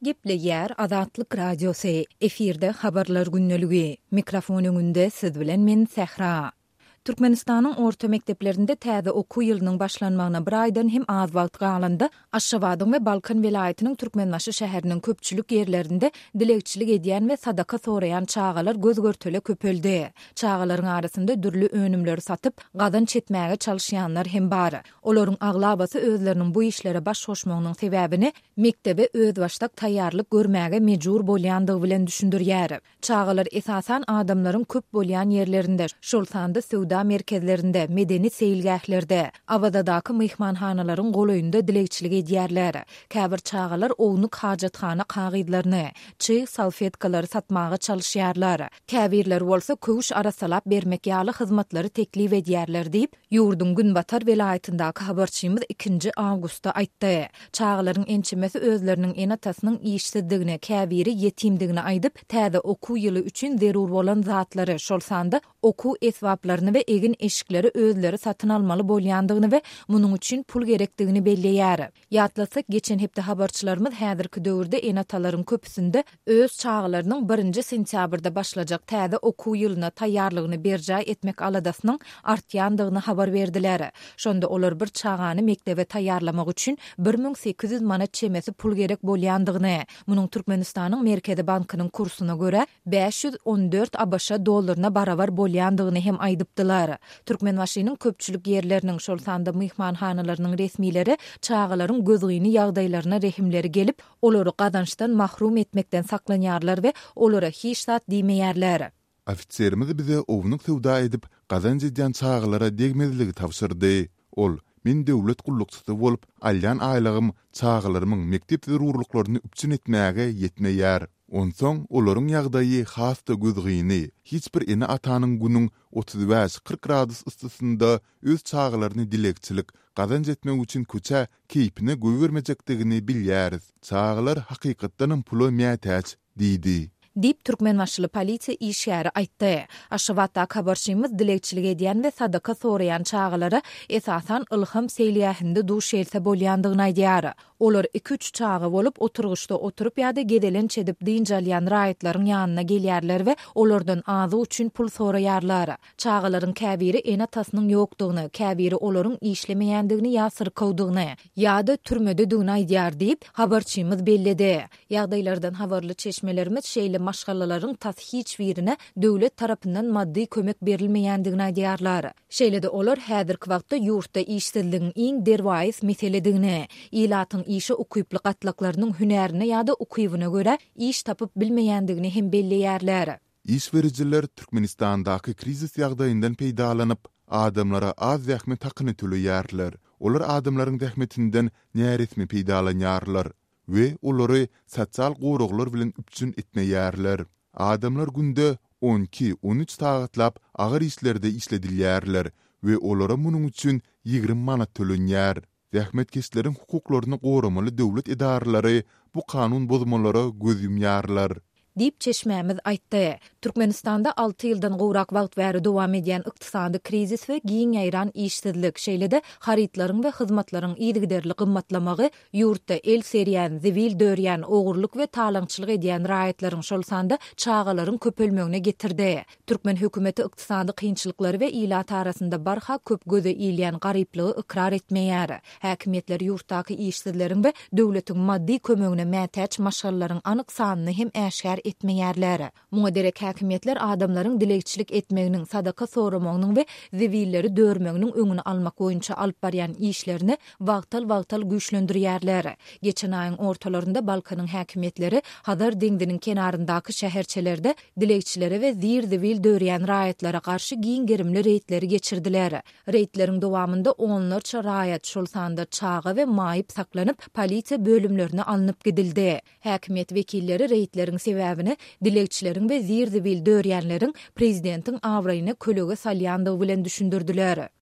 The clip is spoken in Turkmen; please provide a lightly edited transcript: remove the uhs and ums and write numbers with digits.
Gepleýär Azatlyk Radiosy, efirde Habarlar gündeligi. Mikrofon öňünde siz bilen men Sähra. Türkmenistanyň orta mekdeplerinde täze okuw ýylynyň başlanmagyna bir aýdan hem az wagt galanda, Aşgabadyň we Balkan welaýatynyň Türkmenbaşy şäheriniň köpçülik ýerlerinde dilegçilik edýän we sadaka soraýan çagalar göz-görtele köpeldi. Çagalaryň arasynda dürli önümleri satyp, gazanç etmäge çalyşýanlar hem bar. Olaryň aglabasy özleriniň bu işlere baş goşmagynyň sebäbini mekdebe özbaşdak taýýarlyk görmäge mejbur bolýandygy bilen düşündirýär. Çagalar esasan adamlaryň köp bolýan ýerlerinde, şol sanda söwda merkezlerinde, medeni seýilgählerde, Awazadaky myhmanhanalaryň golaýynda dilegçilik edýärler. Käbir çagalar ownuk hajathana kagyzlaryny, çyg salfetkalary satmaga çalyşýarlar. Käbirleri bolsa köwüş arassalap bermek ýaly hyzmatlary teklip edýärler diýip, Ýurduň günbatar welaýatyndaky habarçymyz ikinji awgustda aýtdy. Çagalaryň ençemesi özleriniň ene-atasynyň işsizdigini, käbiri ýetimdigini aýdyp, täze okuw ýyly üçin zerur bolan zatlary, şol sanda okuw esbaplaryny we egin-eşikleri özleri satyn almaly bolýandygyny we munuň üçin pul gerekdigini belleýär. Ýatlatsak, geçen hepde habarçylarymyz häzirki döwürde ene-atalaryň köpüsinde öz çagalarynyň birinji sentýabrda başlajak täze okuw ýylyna taýýarlygyny berjaý etmek aladasynyň artýandygyny habar berdiler. Şonda olar bir çagany mekdebe taýýarlamak üçin 1800 manat çemesi pul gerek bolýandygyny, munuň Türkmenistanyň Merkezi bankynyň kursuna görä, 514 ABŞ dollaryna barabar bolýandygyny hem aýdypdylar. Türkmenbaşynyň köpçülik ýerleriniň, şol sanda myhmanhanalarynyň resmileri çagalaryň gözgyny ýagdaýlaryna rehimleri gelip, olary gazançdan mahrum etmekden saklanýarlar we olara hiç zat diýmeýärler. Ofiserimiz bize ownuk söwda edip, gazanç edýän çagalara degmezligi tabşyrdy. Ol, Men döwlet gullukçysy bolup, alýan aýlygym çagalarymyň mekdep zerurlyklaryny üpjün etmäge ýetmeýär. Onsoň olaryň ýagdaýy has-da gözgyny, hiç bir ene-atanyň günüň 35, 40 gradus yssysynda öz çagalaryny dilegçilik, gazanç etmek üçin köçä keýpine goýbermejekdigini bilýäris. Çagalar hakykatdanam pula mätäç diýdi. Diýip, türkmenbaşyly polisiýa işgäri aýtdy. Aşgabatdaky habarçymyz dilegçilik edýän we sadaka soraýan çagalara esasan Ylham seýilgähinde duş gelse bolýandygyny aýdýar. Olar iki-üç çaga bolup, oturgyçda oturyp ýa-da gezelenç edip dynç alýan raýatlaryň ýanyna gelýärler we olardan azyk üçin pul soraýarlar. Çagalaryň käbiri ene-atasynyň ýokdugyny, käbiri olaryň işlemeýändigini ýa syrkawdygyny, ýa-da türmededigini aýdýar diýip, habarçymyz belledi. Ýagdaýlardan habarly çeşmelerimiz şeýle maşgalalaryň tas hiç birine döwlet tarapyndan maddy kömek berilmeýändigini aýdýarlar. Şeýle-de olar häzirki wagtda ýurtda işsizligiň iň derwaýys meseledigini, ilatyň işe ukyply gatlaklarynyň hünärine ýa-da ukybyna görä iş tapyp bilmeýändigini hem belleýärler. Iş berijiler Türkmenistandaky krizis ýagdaýyndan peýdalanyp, adamlara az zähmet hakyny töleýärler. Olar adamlaryň zähmetinden näresmi peýdalanýarlar we olary sosial goraglar bilen üpjün etmeýärler. Adamlar günde on iki, on üç sagatlap agyr işlerde işledilýärler we olara munuň üçin 20 manat tölenýär. Zähmetkeşleriň hukuklaryny goramaly döwlet edaralary bu kanun bozmalara göz ýumýarlar. Diýip, çeşmämiz aýtdy. Türkmenistanda alty ýyldan gowrak wagt bäri dowam edýän ykdysady krizis we giň ýaýran işsizlik, şeýle-de harytlaryň we hyzmatlaryň yzygiderli gymmatlamagy ýurtda el serýän, zibil dörýän, ogurlyk we talaňçylyk edýän raýatlaryň, şol sanda çagalaryň köpelmegine getirdi. Türkmen hökümeti ykdysady kynçylyklary we ilat arasynda barha köp göze ilýän garyplygy ykrar etmeýär. Häkimiýetler ýurtdaky işsizleriň we döwletiň maddy kömegine mätäç maşgalalaryň anyk sanyny hem äşgär etmeýärler. Muňa derek häkimiýetler adamlaryň dilegçilik etmeginiň, sadaka soramagynyň we zibilleri dörmeginiň öňüni almak boýunça alyp barýan işlerini wagtal-wagtal güýçlendirýärler. Geçen aýyň ortalarynda Balkanyň häkimiýetleri Hazar deňziniň kenaryndaky şäherçelerde dilegçilere we zir-zibil dörýän raýatlara garşy giň gerimli reýdleri geçirdiler. Reýdleriň dowamynda onlarça raýat, şol sanda çaga we maýyp saklanyp, polisiýa bölümlerine alnyp gidildi. Häkimiýet wekilleri reýdleriň sebäbini dilegçileriň we zir-zibil dörýänleriň prezidentiň abraýyna kölege salýandygy bilen düşündirdiler.